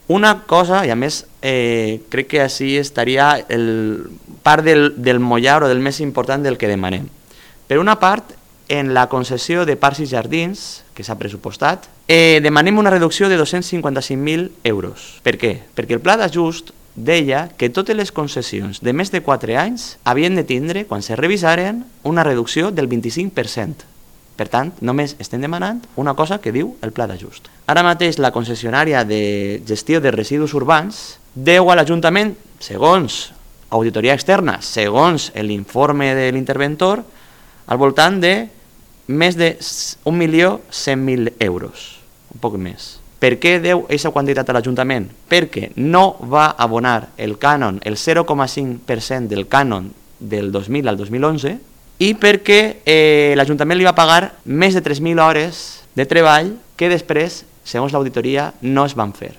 Una cosa, i a més crec que així estaria part del mollar o del més important del que demanem. Per una part, en la concessió de parcs i jardins, que s'ha pressupostat, demanem una reducció de 255.000 euros. Per què? Perquè el pla d'ajust deia que totes les concessions de més de 4 anys havien de tindre, quan se revisaren, una reducció del 25%. Per tant, només estem demanant una cosa que diu el pla d'ajust. Ara mateix la concessionària de gestió de residus urbans deu a l'Ajuntament, segons auditoria externa, segons l'informe de l'interventor, al voltant de més de 1.100.000 euros, un poc més. Per què deu aquesta quantitat a l'Ajuntament? Perquè no va abonar el cànon, el 0,5% del cànon del 2000 al 2011, i perquè l'Ajuntament li va pagar més de 3.000 hores de treball que després, segons l'auditoria, no es van fer.